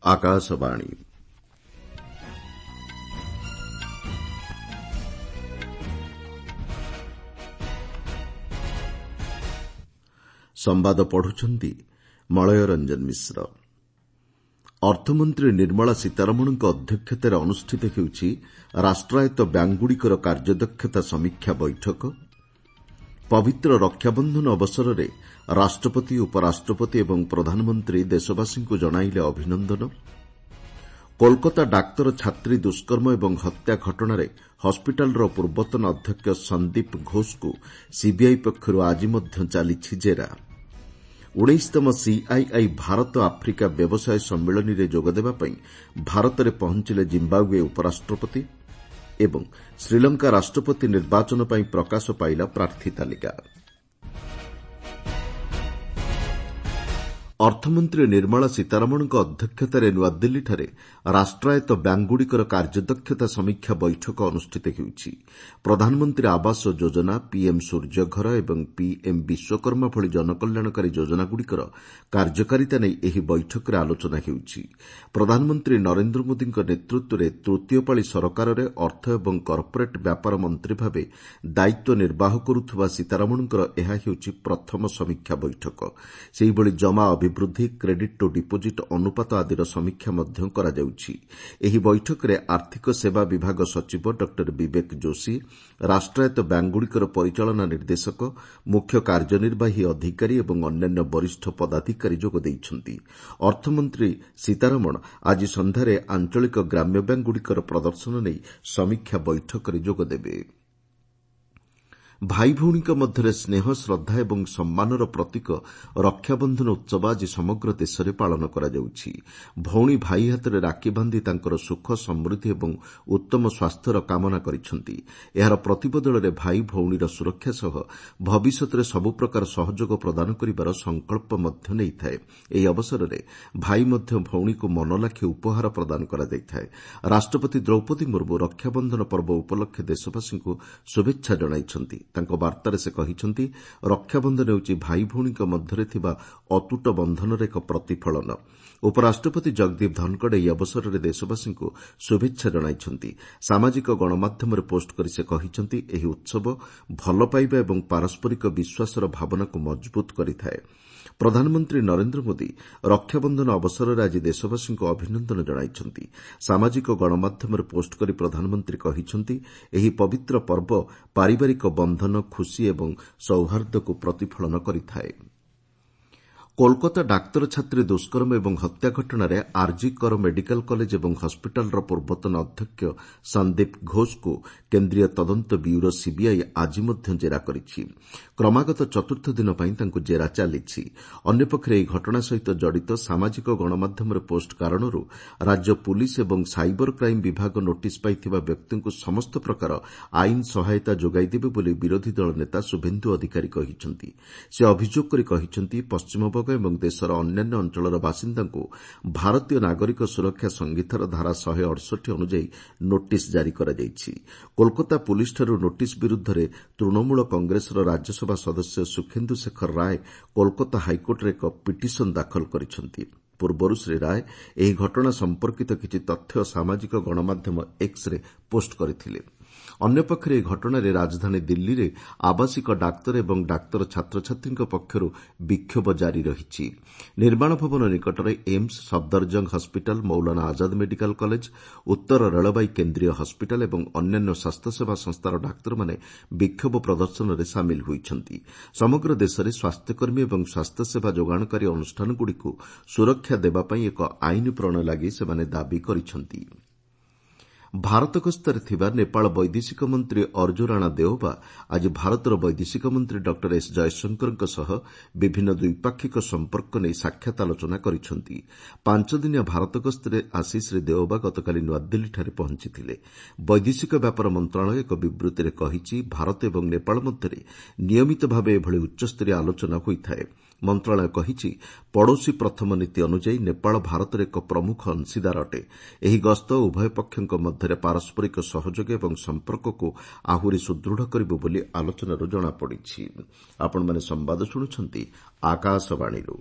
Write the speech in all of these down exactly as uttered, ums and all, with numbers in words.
ଆକାଶବାଣୀ। ସମ୍ବାଦ ପଢୁଛନ୍ତି ମଳୟ ରଞ୍ଜନ ମିଶ୍ର। ଅର୍ଥମନ୍ତ୍ରୀ ନିର୍ମଳା ସୀତାରମଣଙ୍କ ଅଧ୍ୟକ୍ଷତାରେ ଅନୁଷ୍ଠିତ ହେଉଛି ରାଷ୍ଟ୍ରାୟତ୍ତ ବ୍ୟାଙ୍କଗୁଡ଼ିକର କାର୍ଯ୍ୟଦକ୍ଷତା ସମୀକ୍ଷା ବୈଠକ। ପବିତ୍ର ରକ୍ଷାବନ୍ଧନ ଅବସରରେ ରାଷ୍ଟ୍ରପତି, ଉପରାଷ୍ଟ୍ରପତି ଏବଂ ପ୍ରଧାନମନ୍ତ୍ରୀ ଦେଶବାସୀଙ୍କୁ ଜଣାଇଲେ ଅଭିନନ୍ଦନ। କୋଲକାତା ଡାକ୍ତର ଛାତ୍ରୀ ଦୁଷ୍କର୍ମ ଏବଂ ହତ୍ୟା ଘଟଣାରେ ହସ୍ପିଟାଲର ପୂର୍ବତନ ଅଧ୍ୟକ୍ଷ ସନ୍ଦୀପ ଘୋଷଙ୍କୁ ସିବିଆଇ ପକ୍ଷରୁ ଆଜି ମଧ୍ୟ ଚାଲିଛି ଜେରା। ଉଣେଇଶତମ ସିଆଇଆଇ ଭାରତ ଆଫ୍ରିକା ବ୍ୟବସାୟ ସମ୍ମିଳନୀରେ ଯୋଗଦେବା ପାଇଁ ଭାରତରେ ପହଞ୍ଚିଲେ ଜିମ୍ବାଓ୍ବେ ଉପରାଷ୍ଟ୍ରପତି ଏବଂ ଶ୍ରୀଲଙ୍କା ରାଷ୍ଟ୍ରପତି ନିର୍ବାଚନ ପାଇଁ ପ୍ରକାଶ ପାଇଲା ପ୍ରାର୍ଥୀ ତାଲିକା। ଅର୍ଥମନ୍ତ୍ରୀ ନିର୍ମଳା ସୀତାରମଣଙ୍କ ଅଧ୍ୟକ୍ଷତାରେ ନୂଆଦିଲ୍ଲୀଠାରେ ରାଷ୍ଟ୍ରାୟତ୍ତ ବ୍ୟାଙ୍କଗୁଡ଼ିକର କାର୍ଯ୍ୟଦକ୍ଷତା ସମୀକ୍ଷା ବୈଠକ ଅନୁଷ୍ଠିତ ହେଉଛି। ପ୍ରଧାନମନ୍ତ୍ରୀ ଆବାସ ଯୋଜନା, ପିଏମ୍ ସୂର୍ଯ୍ୟଘର ଏବଂ ପିଏମ୍ ବିଶ୍ୱକର୍ମା ଭଳି ଜନକଲ୍ୟାଣକାରୀ ଯୋଜନାଗୁଡ଼ିକର କାର୍ଯ୍ୟକାରିତା ନେଇ ଏହି ବୈଠକରେ ଆଲୋଚନା ହେଉଛି। ପ୍ରଧାନମନ୍ତ୍ରୀ ନରେନ୍ଦ୍ର ମୋଦିଙ୍କ ନେତୃତ୍ୱରେ ତୃତୀୟ ପାଳି ସରକାରରେ ଅର୍ଥ ଏବଂ କର୍ପୋରେଟ୍ ବ୍ୟାପାର ମନ୍ତ୍ରୀ ଭାବେ ଦାୟିତ୍ୱ ନିର୍ବାହ କରୁଥିବା ସୀତାରମଣଙ୍କର ଏହା ହେଉଛି ପ୍ରଥମ ସମୀକ୍ଷା ବୈଠକ। ସେହିଭଳି ଜମା ଅଭିବୃଦ୍ଧି, କ୍ରେଡିଟ୍ ଟୁ ଡିପୋଜିଟ୍ ଅନୁପାତ ଆଦିର ସମୀକ୍ଷା ମଧ୍ୟ କରାଯାଉଛି। ଏହି ବୈଠକରେ ଆର୍ଥିକ ସେବା ବିଭାଗ ସଚିବ ଡକ୍ଟର ବିବେକ ଯୋଶୀ, ରାଷ୍ଟ୍ରାୟତ୍ତ ବ୍ୟାଙ୍କଗୁଡ଼ିକର ପରିଚାଳନା ନିର୍ଦ୍ଦେଶକ, ମୁଖ୍ୟ କାର୍ଯ୍ୟନିର୍ବାହୀ ଅଧିକାରୀ ଏବଂ ଅନ୍ୟାନ୍ୟ ବରିଷ୍ଠ ପଦାଧିକାରୀ ଯୋଗ ଦେଇଛନ୍ତି। ଅର୍ଥମନ୍ତ୍ରୀ ସୀତାରମଣ ଆଜି ସନ୍ଧ୍ୟାରେ ଆଞ୍ଚଳିକ ଗ୍ରାମ୍ୟ ବ୍ୟାଙ୍କଗୁଡ଼ିକର ପ୍ରଦର୍ଶନ ନେଇ ସମୀକ୍ଷା ବୈଠକରେ ଯୋଗଦେବେ। ଭାଇଭଉଣୀଙ୍କ ମଧ୍ୟରେ ସ୍ନେହ, ଶ୍ରଦ୍ଧା ଏବଂ ସମ୍ମାନର ପ୍ରତୀକ ରକ୍ଷାବନ୍ଧନ ଉତ୍ସବ ଆଜି ସମଗ୍ର ଦେଶରେ ପାଳନ କରାଯାଉଛି। ଭଉଣୀ ଭାଇ ହାତରେ ରାକ୍ଷୀ ବାନ୍ଧି ତାଙ୍କର ସୁଖ, ସମୃଦ୍ଧି ଏବଂ ଉତ୍ତମ ସ୍ୱାସ୍ଥ୍ୟର କାମନା କରିଛନ୍ତି। ଏହାର ପ୍ରତିବଦଳରେ ଭାଇ ଭଉଣୀର ସୁରକ୍ଷା ସହ ଭବିଷ୍ୟତରେ ସବୁ ପ୍ରକାର ସହଯୋଗ ପ୍ରଦାନ କରିବାର ସଂକଳ୍ପ ମଧ୍ୟ ନେଇଥାଏ। ଏହି ଅବସରରେ ଭାଇ ମଧ୍ୟ ଭଉଣୀକୁ ମନଲାଖି ଉପହାର ପ୍ରଦାନ କରାଯାଇଥାଏ। ରାଷ୍ଟ୍ରପତି ଦ୍ରୌପଦୀ ମୁର୍ମୁ ରକ୍ଷାବନ୍ଧନ ପର୍ବ ଉପଲକ୍ଷେ ଦେଶବାସୀଙ୍କୁ ଶୁଭେଚ୍ଛା ଜଣାଇଛନ୍ତି। ତାଙ୍କ ବାର୍ତ୍ତାରେ ସେ କହିଛନ୍ତି, ରକ୍ଷାବନ୍ଧନ ହେଉଛି ଭାଇ ଭଉଣୀଙ୍କ ମଧ୍ୟରେ ଥିବା ଅତୁଟ ବନ୍ଧନର ଏକ ପ୍ରତିଫଳନ। ଉପରାଷ୍ଟ୍ରପତି ଜଗଦୀପ ଧନଖଡ଼ ଏହି ଅବସରରେ ଦେଶବାସୀଙ୍କୁ ଶୁଭେଚ୍ଛା ଜଣାଇଛନ୍ତି। ସାମାଜିକ ଗଣମାଧ୍ୟମରେ ପୋଷ୍ଟ କରି ସେ କହିଛନ୍ତି, ଏହି ଉତ୍ସବ ଭଲପାଇବା ଏବଂ ପାରସ୍ପରିକ ବିଶ୍ୱାସର ଭାବନାକୁ ମଜବୁତ କରିଥାଏ। ପ୍ରଧାନମନ୍ତ୍ରୀ ନରେନ୍ଦ୍ର ମୋଦି ରକ୍ଷାବନ୍ଧନ ଅବସରରେ ଆଜି ଦେଶବାସୀଙ୍କୁ ଅଭିନନ୍ଦନ ଜଣାଇଛନ୍ତି। ସାମାଜିକ ଗଣମାଧ୍ୟମରେ ପୋଷ୍ଟ କରି ପ୍ରଧାନମନ୍ତ୍ରୀ କହିଛନ୍ତି, ଏହି ପବିତ୍ର ପର୍ବ ପାରିବାରିକ ବନ୍ଧନ, ଖୁସି ଏବଂ ସୌହାର୍ଦ୍ଦ୍ୟକୁ ପ୍ରତିଫଳନ କରିଥାଏ। କୋଲକାତା ଡାକ୍ତର ଛାତ୍ରୀ ଦୁଷ୍କର୍ମ ଏବଂ ହତ୍ୟା ଘଟଣାରେ ଆର୍ଜି କର ମେଡିକାଲ କଲେଜ ଏବଂ ହସ୍ପିଟାଲର ପୂର୍ବତନ ଅଧ୍ୟକ୍ଷ ସନ୍ଦୀପ ଘୋଷଙ୍କୁ କେନ୍ଦ୍ରୀୟ ତଦନ୍ତ ବ୍ୟୁରୋ ସିବିଆଇ ଆଜି ମଧ୍ୟ ଜେରା କରିଛି। କ୍ରମାଗତ ଚତୁର୍ଥ ଦିନ ପାଇଁ ତାଙ୍କୁ ଜେରା ଚାଲିଛି। ଅନ୍ୟପକ୍ଷରେ ଏହି ଘଟଣା ସହିତ ଜଡ଼ିତ ସାମାଜିକ ଗଣମାଧ୍ୟମରେ ପୋଷ୍ଟ କାରଣରୁ ରାଜ୍ୟ ପୁଲିସ୍ ଏବଂ ସାଇବର କ୍ରାଇମ୍ ବିଭାଗ ନୋଟିସ୍ ପାଇଥିବା ବ୍ୟକ୍ତିଙ୍କୁ ସମସ୍ତ ପ୍ରକାର ଆଇନ ସହାୟତା ଯୋଗାଇ ଦେବେ ବୋଲି ବିରୋଧୀ ଦଳ ନେତା ଶୁଭେନ୍ଦୁ ଅଧିକାରୀ କହିଛନ୍ତି। ସେ ଅଭିଯୋଗ କରି କହିଛନ୍ତି, ପଶ୍ଚିମବଙ୍ଗ ଏବଂ ଦେଶର ଅନ୍ୟାନ୍ୟ ଅଞ୍ଚଳର ବାସିନ୍ଦାଙ୍କୁ ଭାରତୀୟ ନାଗରିକ ସୁରକ୍ଷା ସଂହିତାର ଧାରା ଶହେ ଅଠଷଠି ଅନୁଯାୟୀ ନୋଟିସ୍ ଜାରି କରାଯାଇଛି। କୋଲକାତା ପୁଲିସ୍ଠାରୁ ନୋଟିସ୍ ବିରୁଦ୍ଧରେ ତୃଣମୂଳ କଂଗ୍ରେସର ରାଜ୍ୟସଭା ସଦସ୍ୟ ସୁଖେନ୍ଦୁ ଶେଖର ରାୟ କୋଲକାତା ହାଇକୋର୍ଟରେ ଏକ ପିଟିସନ୍ ଦାଖଲ କରିଛନ୍ତି। ପୂର୍ବରୁ ଶ୍ରୀ ରାୟ ଏହି ଘଟଣା ସମ୍ପର୍କିତ କିଛି ତଥ୍ୟ ସାମାଜିକ ଗଣମାଧ୍ୟମ ଏକ୍ସରେ ପୋଷ୍ଟ କରିଥିଲେ। ଅନ୍ୟପକ୍ଷରେ ଏହି ଘଟଣାରେ ରାଜଧାନୀ ଦିଲ୍ଲୀରେ ଆବାସିକ ଡାକ୍ତର ଏବଂ ଡାକ୍ତର ଛାତ୍ରଛାତ୍ରୀଙ୍କ ପକ୍ଷରୁ ବିକ୍ଷୋଭ ଜାରି ରହିଛି। ନିର୍ମାଣ ଭବନ ନିକଟରେ AIIMS, Safdarjung hospital, Maulana Azad medical college, ଉତ୍ତର ରେଳବାଇ କେନ୍ଦ୍ରୀୟ ହସ୍ପିଟାଲ ଏବଂ ଅନ୍ୟାନ୍ୟ ସ୍ୱାସ୍ଥ୍ୟସେବା ସଂସ୍ଥାର ଡାକ୍ତରମାନେ ବିକ୍ଷୋଭ ପ୍ରଦର୍ଶନରେ ସାମିଲ ହୋଇଛନ୍ତି। ସମଗ୍ର ଦେଶରେ ସ୍ୱାସ୍ଥ୍ୟକର୍ମୀ ଏବଂ ସ୍ୱାସ୍ଥ୍ୟସେବା ଯୋଗାଣକାରୀ ଅନୁଷ୍ଠାନଗୁଡ଼ିକୁ ସୁରକ୍ଷା ଦେବା ପାଇଁ ଏକ ଆଇନ ପ୍ରଣୟ ଲାଗି ସେମାନେ ଦାବି କରିଛନ୍ତି। ଭାରତ ଗସ୍ତରେ ଥିବା ନେପାଳ ବୈଦେଶିକ ମନ୍ତ୍ରୀ ଅର୍ଜୁ ରାଣା ଦେଓବା ଆଜି ଭାରତର ବୈଦେଶିକ ମନ୍ତ୍ରୀ ଡକ୍ଟର ଏସ୍ ଜୟଶଙ୍କରଙ୍କ ସହ ବିଭିନ୍ନ ଦ୍ୱିପାକ୍ଷିକ ସମ୍ପର୍କ ନେଇ ସାକ୍ଷାତ ଆଲୋଚନା କରିଛନ୍ତି। ପାଞ୍ଚଦିନିଆ ଭାରତ ଗସ୍ତରେ ଆସି ଶ୍ରୀ ଦେଓବା ଗତକାଲି ନୂଆଦିଲ୍ଲୀଠାରେ ପହଞ୍ଚିଥିଲେ। ବୈଦେଶିକ ବ୍ୟାପାର ମନ୍ତ୍ରଣାଳୟ ଏକ ବିବୃତ୍ତିରେ କହିଛି, ଭାରତ ଏବଂ ନେପାଳ ମଧ୍ୟରେ ନିୟମିତ ଭାବେ ଏଭଳି ଉଚ୍ଚସ୍ତରୀୟ ଆଲୋଚନା ହୋଇଥାଏ। ମନ୍ତ୍ରଣାଳୟ କହିଛି, ପଡ଼ୋଶୀ ପ୍ରଥମ ନୀତି ଅନୁଯାୟୀ ନେପାଳ ଭାରତର ଏକ ପ୍ରମୁଖ ଅଂଶୀଦାର ଅଟେ। ଏହି ଗସ୍ତ ଉଭୟ ପକ୍ଷଙ୍କ ମଧ୍ୟରେ ପାରସ୍ପରିକ ସହଯୋଗ ଏବଂ ସମ୍ପର୍କକୁ ଆହୁରି ସୁଦୃଢ଼ କରିବ ବୋଲି ଆଲୋଚନାରୁ ଜଣାପଡ଼ିଛି।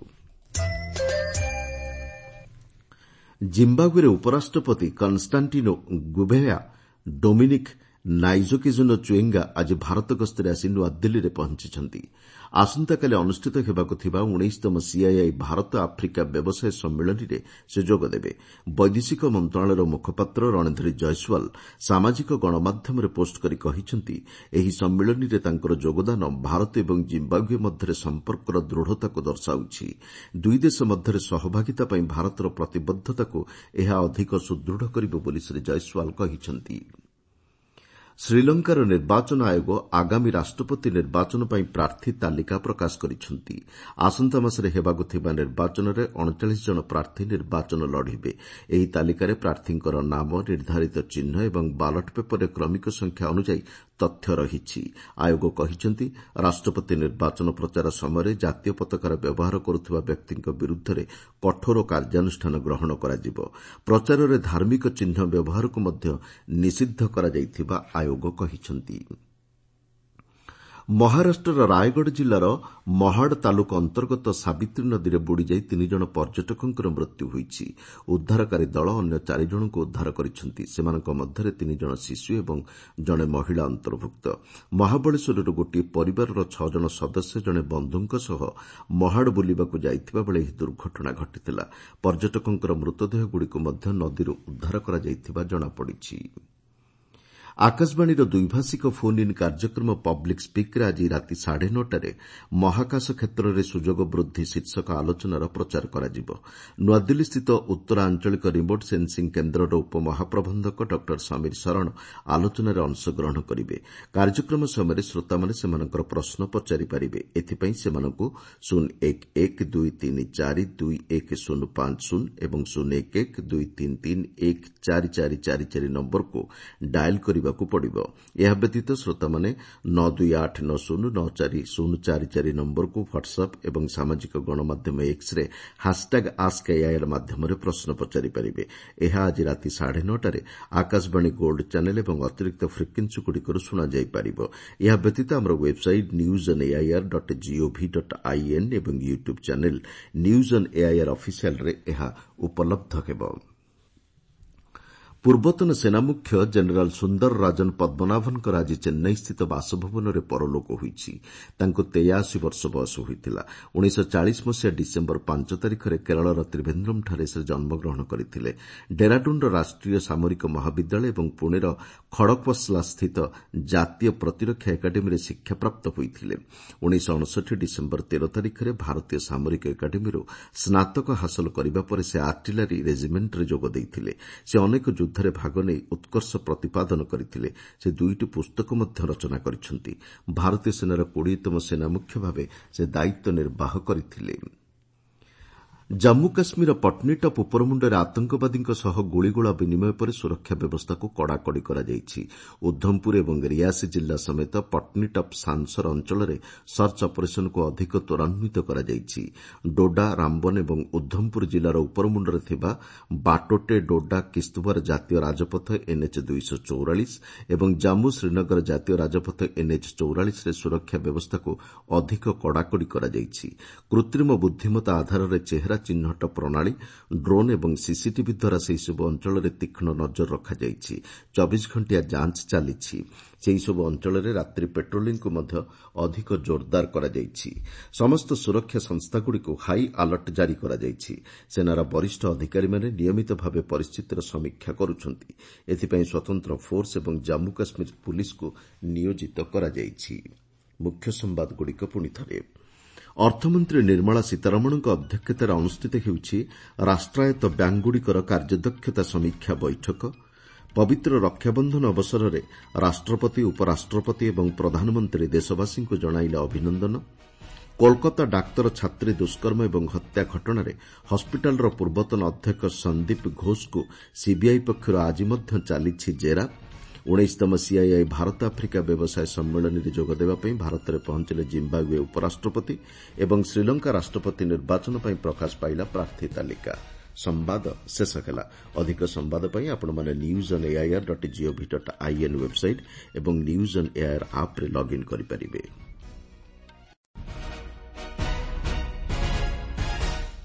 ଜିମ୍ବାବୁଏର ଉପରାଷ୍ଟ୍ରପତି କନ୍ଷ୍ଟାଣ୍ଟିନୋ ଗୁଭେୟା ଡୋମିନିକ୍ ନାଇଜୋକିଜୋନୋ ଚୁଏଙ୍ଗା ଆଜି ଭାରତ ଗସ୍ତରେ ଆସି ନୂଆଦିଲ୍ଲୀରେ ପହଞ୍ଚିଛନ୍ତି। ଆସନ୍ତାକାଲି ଅନୁଷ୍ଠିତ ହେବାକୁ ଥିବା ଉଣେଇଶତମ ସିଆଇଆଇ ଭାରତ ଆଫ୍ରିକା ବ୍ୟବସାୟ ସମ୍ମିଳନୀରେ ସେ ଯୋଗଦେବେ। ବୈଦେଶିକ ମନ୍ତ୍ରଣାଳୟର ମୁଖପାତ୍ର ରଣଧୀର ଜୟସ୍ୱାଲ ସାମାଜିକ ଗଣମାଧ୍ୟମରେ ପୋଷ୍ଟ କରି କହିଛନ୍ତି, ଏହି ସମ୍ମିଳନୀରେ ତାଙ୍କର ଯୋଗଦାନ ଭାରତ ଏବଂ ଜିମ୍ବାବୁଏ ମଧ୍ୟରେ ସମ୍ପର୍କର ଦୃଢ଼ତାକୁ ଦର୍ଶାଉଛି। ଦୁଇ ଦେଶ ମଧ୍ୟରେ ସହଭାଗିତା ପାଇଁ ଭାରତର ପ୍ରତିବଦ୍ଧତାକୁ ଏହା ଅଧିକ ସୁଦୃଢ଼ କରିବ ବୋଲି ଶ୍ରୀ ଜୟସ୍ୱାଲ କହିଛନ୍ତି। ଶ୍ରୀଲଙ୍କାର ନିର୍ବାଚନ ଆୟୋଗ ଆଗାମୀ ରାଷ୍ଟ୍ରପତି ନିର୍ବାଚନ ପାଇଁ ପ୍ରାର୍ଥୀ ତାଲିକା ପ୍ରକାଶ କରିଛନ୍ତି। ଆସନ୍ତା ମାସରେ ହେବାକୁ ଥିବା ନିର୍ବାଚନରେ ଅଣଚାଳିଶ ଜଣ ପ୍ରାର୍ଥୀ ନିର୍ବାଚନ ଲଢ଼ିବେ। ଏହି ତାଲିକାରେ ପ୍ରାର୍ଥୀଙ୍କର ନାମ, ନିର୍ଦ୍ଧାରିତ ଚିହ୍ନ ଏବଂ ବାଲଟ ପେପରରେ କ୍ରମିକ ସଂଖ୍ୟା ଅନୁଯାୟୀ ତଥ୍ୟ ରହିଛି। ଆୟୋଗ କହିଛନ୍ତି, ରାଷ୍ଟ୍ରପତି ନିର୍ବାଚନ ପ୍ରଚାର ସମୟରେ ଜାତୀୟ ପତାକାର ବ୍ୟବହାର କରୁଥିବା ବ୍ୟକ୍ତିଙ୍କ ବିରୁଦ୍ଧରେ କଠୋର କାର୍ଯ୍ୟାନୁଷ୍ଠାନ ଗ୍ରହଣ କରାଯିବ। ପ୍ରଚାରରେ ଧାର୍ମିକ ଚିହ୍ନ ବ୍ୟବହାରକୁ ମଧ୍ୟ ନିଷିଦ୍ଧ କରାଯାଇଥିବା ଆୟୋଗ କହିଛନ୍ତି। ମହାରାଷ୍ଟ୍ରର ରାୟଗଡ଼ ଜିଲ୍ଲାର ମହାଡ ତାଲୁକ ଅନ୍ତର୍ଗତ ସାବିତ୍ରୀ ନଦୀରେ ବୁଡ଼ିଯାଇ ତିନି ଜଣ ପର୍ଯ୍ୟଟକଙ୍କର ମୃତ୍ୟୁ ହୋଇଛି। ଉଦ୍ଧାରକାରୀ ଦଳ ଅନ୍ୟ ଚାରି ଜଣଙ୍କୁ ଉଦ୍ଧାର କରିଛନ୍ତି। ସେମାନଙ୍କ ମଧ୍ୟରେ ତିନି ଜଣ ଶିଶୁ ଏବଂ ଜଣେ ମହିଳା ଅନ୍ତର୍ଭୁକ୍ତ। ମହାବଳେଶ୍ୱରରୁ ଗୋଟିଏ ପରିବାରର ଛଅ ଜଣ ସଦସ୍ୟ ଜଣେ ବନ୍ଧୁଙ୍କ ସହ ମହାଡ ବୁଲିବାକୁ ଯାଇଥିବା ବେଳେ ଏହି ଦୁର୍ଘଟଣା ଘଟିଥିଲା। ପର୍ଯ୍ୟଟକଙ୍କର ମୃତଦେହଗୁଡ଼ିକୁ ମଧ୍ୟ ନଦୀରୁ ଉଦ୍ଧାର କରାଯାଇଥିବା ଜଣାପଡ଼ିଛି। ଆକାଶବାଣୀର ଦ୍ୱିଭାଷିକ ଫୋନ୍ ଇନ୍ କାର୍ଯ୍ୟକ୍ରମ ପବ୍ଲିକ୍ ସ୍ପିକ୍ରେ ଆଜି ରାତି ସାଢ଼େ ନଅଟାରେ ମହାକାଶ କ୍ଷେତ୍ରରେ ସୁଯୋଗ ବୃଦ୍ଧି ଶୀର୍ଷକ ଆଲୋଚନାର ପ୍ରଚାର କରାଯିବ। ନୂଆଦିଲ୍ଲୀସ୍ଥିତ ଉତ୍ତର ଆଞ୍ଚଳିକ ରିମୋଟ୍ ସେନ୍ସିଂ କେନ୍ଦ୍ରର ଉପମହାପ୍ରବନ୍ଧକ ଡକ୍ଟର ସମୀର ଶରଣ ଆଲୋଚନାରେ ଅଂଶଗ୍ରହଣ କରିବେ। କାର୍ଯ୍ୟକ୍ରମ ସମୟରେ ଶ୍ରୋତାମାନେ ସେମାନଙ୍କର ପ୍ରଶ୍ନ ପଚାରିପାରିବେ। ଏଥିପାଇଁ ସେମାନଙ୍କୁ ଶୂନ ଏକ ଏକ ଦୁଇ ତିନି ଚାରି ଦୁଇ ଏକ ଶୂନ ପାଞ୍ଚ ଶୂନ ଏବଂ ଶୂନ ଏକ ଏକ ଦୁଇ ତିନି ତିନି ଏକ ଚାରି ଚାରି ଚାରି ଚାରି ନମ୍ବରକୁ ଡାଏଲ୍ କରିବାକୁ ପଡ଼ିବ। ଏହା ବ୍ୟତୀତ ଶ୍ରୋତାମାନେ ନଅ ଦୁଇ ଆଠ ନଅ ଶୂନ ନଅ ଚାରି ଶୂନ ଚାରି ଚାରି ନମ୍ବରକୁ ହ୍ୱାଟ୍ସଆପ୍ ଏବଂ ସାମାଜିକ ଗଣମାଧ୍ୟମ ଏକ୍ସରେ ହାସ୍ଟ୍ୟାଗ୍ ଆସ୍କ ଏଆଇଆର୍ ମାଧ୍ୟମରେ ପ୍ରଶ୍ନ ପଚାରିପାରିବେ। ଏହା ଆଜି ରାତି ସାଢ଼େ ନଅଟାରେ ଆକାଶବାଣୀ ଗୋଲ୍ଡ ଚ୍ୟାନେଲ୍ ଏବଂ ଅତିରିକ୍ତ ଫ୍ରିକ୍ୱେନ୍ସିଗୁଡ଼ିକରୁ ଶୁଣାଯାଇପାରିବ। ଏହା ବ୍ୟତୀତ ଆମର website news on AIR dot gov dot in ଏବଂ YouTube channel news on AIR ଅଫିସିଆଲ୍ରେ ଏହା ଉପଲବ୍ଧ ହେବ। ପୂର୍ବତନ ସେନାମୁଖ୍ୟ ଜେନେରାଲ୍ ସୁନ୍ଦର ରାଜନ ପଦ୍ମନାଭନଙ୍କର ଆଜି ଚେନ୍ନାଇସ୍ଥିତ ବାସଭବନରେ ପରଲୋକ ହୋଇଛି। ତାଙ୍କୁ ତେୟାଅଶୀ ବର୍ଷ ବୟସ ହୋଇଥିଲା। ଉଣେଇଶହ ଚାଳିଶ ମସିହା ଡିସେମ୍ବର ପାଞ୍ଚ ତାରିଖରେ କେରଳର ତ୍ରିଭେନ୍ଦ୍ରମଠାରେ ସେ ଜନ୍ମଗ୍ରହଣ କରିଥିଲେ। ଡେରାଡୁନ୍ର ରାଷ୍ଟ୍ରୀୟ ସାମରିକ ମହାବିଦ୍ୟାଳୟ ଏବଂ ପୁଣେର ଖଡ଼କ୍ୱାସ୍ଲାସ୍ଥିତ ଜାତୀୟ ପ୍ରତିରକ୍ଷା ଏକାଡେମୀରେ ଶିକ୍ଷାପ୍ରାପ୍ତ ହୋଇଥିଲେ। ଉଣେଇଶହ ଅଣଷଠି ଡିସେମ୍ବର ତେର ତାରିଖରେ ଭାରତୀୟ ସାମରିକ ଏକାଡେମୀରୁ ସ୍ନାତକ ହାସଲ କରିବା ପରେ ସେ ଆର୍ଟିଲାରୀ ରେଜିମେଣ୍ଟରେ ଯୋଗ ଦେଇଥିଲେ। ସେ ଅନେକ ଯୁଦ୍ଧରେ ଭାଗ ନେଇ ଉତ୍କର୍ଷ ପ୍ରତିପାଦନ କରିଥିଲେ। ସେ ଦୁଇଟି ପୁସ୍ତକ ମଧ୍ୟ ରଚନା କରିଛନ୍ତି। ଭାରତୀୟ ସେନାର କୋଡ଼ିଏତମ ସେନାମୁଖ୍ୟ ଭାବେ ସେ ଦାୟିତ୍ୱ ନିର୍ବାହ କରିଥିଲେ। ଜାମ୍ମୁ କାଶ୍ମୀରର ପଟ୍ନୀଟପ୍ ଉପରମୁଣ୍ଡରେ ଆତଙ୍କବାଦୀଙ୍କ ସହ ଗୁଳିଗୋଳା ବିନିମୟ ପରେ ସୁରକ୍ଷା ବ୍ୟବସ୍ଥାକୁ କଡ଼ାକଡ଼ି କରାଯାଇଛି। ଉଦ୍ଧମପୁର ଏବଂ ରିଆସି ଜିଲ୍ଲା ସମେତ ପଟ୍ନୀଟପ୍ ସାନ୍ସର ଅଞ୍ଚଳରେ ସର୍ଚ୍ଚ ଅପରେସନକୁ ଅଧିକ ତ୍ୱରାନ୍ୱିତ କରାଯାଇଛି। ଡୋଡା, ରାମବନ ଏବଂ ଉଦ୍ଧମପୁର ଜିଲ୍ଲାର ଉପରମୁଣ୍ଡରେ ଥିବା ବାଟୋଟେ ଡୋଡା କିସ୍ତୱାର ଜାତୀୟ ରାଜପଥ ଏନ୍ଏଚ୍ ଦୁଇଶହ ଚଉରାଳିଶ ଏବଂ ଜାମ୍ମୁ ଶ୍ରୀନଗର ଜାତୀୟ ରାଜପଥ ଏନ୍ଏଚ୍ ଚଉରାଳିଶରେ ସୁରକ୍ଷା ବ୍ୟବସ୍ଥାକୁ ଅଧିକ କଡ଼ାକଡ଼ି କରାଯାଇଛି। କୃତ୍ରିମ ବୁଦ୍ଧିମତ୍ତା ଆଧାରରେ ଚେହେରା ଚିହ୍ନଟ ପ୍ରଣାଳୀ, ଡ୍ରୋନ୍ ଏବଂ ସିସିଟିଭି ଦ୍ୱାରା ସେହିସବୁ ଅଞ୍ଚଳରେ ତୀକ୍ଷ୍ଣ ନଜର ରଖାଯାଇଛି। ଚବିଶ ଘଣ୍ଟିଆ ଯାଞ୍ଚ ଚାଲିଛି। ସେହିସବୁ ଅଞ୍ଚଳରେ ରାତ୍ରି ପେଟ୍ରୋଲିଂକୁ ମଧ୍ୟ ଅଧିକ ଜୋରଦାର କରାଯାଇଛି। ସମସ୍ତ ସୁରକ୍ଷା ସଂସ୍ଥାଗୁଡ଼ିକୁ ହାଇ ଆଲର୍ଟ ଜାରି କରାଯାଇଛି। ସେନାର ବରିଷ୍ଠ ଅଧିକାରୀମାନେ ନିୟମିତ ଭାବେ ପରିସ୍ଥିତିର ସମୀକ୍ଷା କରୁଛନ୍ତି। ଏଥିପାଇଁ ସ୍ୱତନ୍ତ୍ର ଫୋର୍ସ ଏବଂ ଜାମ୍ମୁ କାଶ୍ମୀର ପୁଲିସକୁ ନିୟୋଜିତ କରାଯାଇଛି। ମୁଖ୍ୟ ସମ୍ବାଦଗୁଡ଼ିକ ପୁଣିଥରେ ଅର୍ଥମନ୍ତ୍ରୀ ନିର୍ମଳା ସୀତାରମଣଙ୍କ ଅଧ୍ୟକ୍ଷତାରେ ଅନୁଷ୍ଠିତ ହେଉଛି ରାଷ୍ଟ୍ରାୟତ୍ତ ବ୍ୟାଙ୍କଗୁଡ଼ିକର କାର୍ଯ୍ୟଦକ୍ଷତା ସମୀକ୍ଷା ବୈଠକ। ପବିତ୍ର ରକ୍ଷାବନ୍ଧନ ଅବସରରେ ରାଷ୍ଟ୍ରପତି, ଉପରାଷ୍ଟ୍ରପତି ଏବଂ ପ୍ରଧାନମନ୍ତ୍ରୀ ଦେଶବାସୀଙ୍କୁ ଜଣାଇଲେ ଅଭିନନ୍ଦନ। କୋଲକାତା ଡାକ୍ତର ଛାତ୍ରୀ ଦୁଷ୍କର୍ମ ଏବଂ ହତ୍ୟା ଘଟଣାରେ ହସ୍ପିଟାଲର ପୂର୍ବତନ ଅଧ୍ୟକ୍ଷ ସନ୍ଦୀପ ଘୋଷଙ୍କୁ ସିବିଆଇ ପକ୍ଷରୁ ଆଜି ମଧ୍ୟ ଚାଲିଛି ଜେରା। ଉଣେଇଶତମ ସିଆଇଆଇ ଭାରତ ଆଫ୍ରିକା ବ୍ୟବସାୟ ସମ୍ମିଳନୀରେ ଯୋଗଦେବା ପାଇଁ ଭାରତରେ ପହଞ୍ଚିଲେ ଜିମ୍ବାବୁଏ ଉପରାଷ୍ଟ୍ରପତି ଏବଂ ଶ୍ରୀଲଙ୍କା ରାଷ୍ଟ୍ରପତି ନିର୍ବାଚନ ପାଇଁ ପ୍ରକାଶ ପାଇଲା ପ୍ରାର୍ଥୀ ତାଲିକା। ସମ୍ବାଦ ଶେଷ ହେଲା। ଅଧିକ ସମ୍ବାଦ ପାଇଁ ଆପଣମାନେ news on AIR dot gov dot in website ଏବଂ ନ୍ୟୁଜ୍ ଅନ୍ ଏଆଇଆର୍ ଆପ୍ରେ ଲଗ୍ଇନ୍ କରିପାରିବେ।